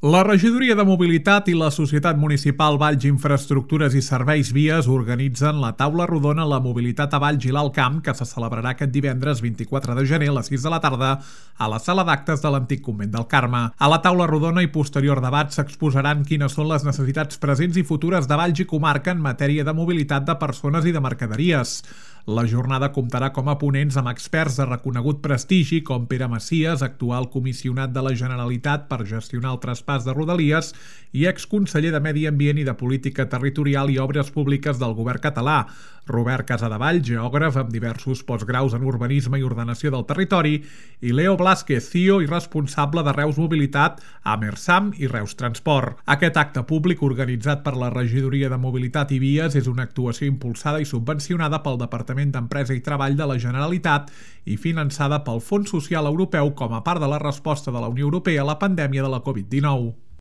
La Regidoria de Mobilitat i la Societat Municipal Valls Infraestructures i Serveis Vies organitzen la taula rodona La Mobilitat a Valls i l'Alt Camp, que se celebrarà aquest divendres 24 de gener a les 6 de la tarda a la sala d'actes de l'antic convent del Carme. A la taula rodona i posterior debat s'exposaran quines són les necessitats presents i futures de Valls i comarca en matèria de mobilitat de persones i de mercaderies. La jornada comptarà com a ponents amb experts de reconegut prestigi com Pere Macias, actual comissionat de la Generalitat per gestionar el traspàs de Rodalies i exconseller de Medi Ambient i de Política Territorial i Obres Públiques del govern català, Robert Casadevall, geògraf amb diversos postgraus en urbanisme i ordenació del territori, i Leo Blázquez, CEO i responsable de Reus Mobilitat a Mersam i Reus Transport. Aquest acte públic organitzat per la Regidoria de Mobilitat i Vies és una actuació impulsada i subvencionada pel Departament d'Empresa i Treball de la Generalitat i finançada pel Fons Social Europeu com a part de la resposta de la Unió Europea a la pandèmia de la Covid-19.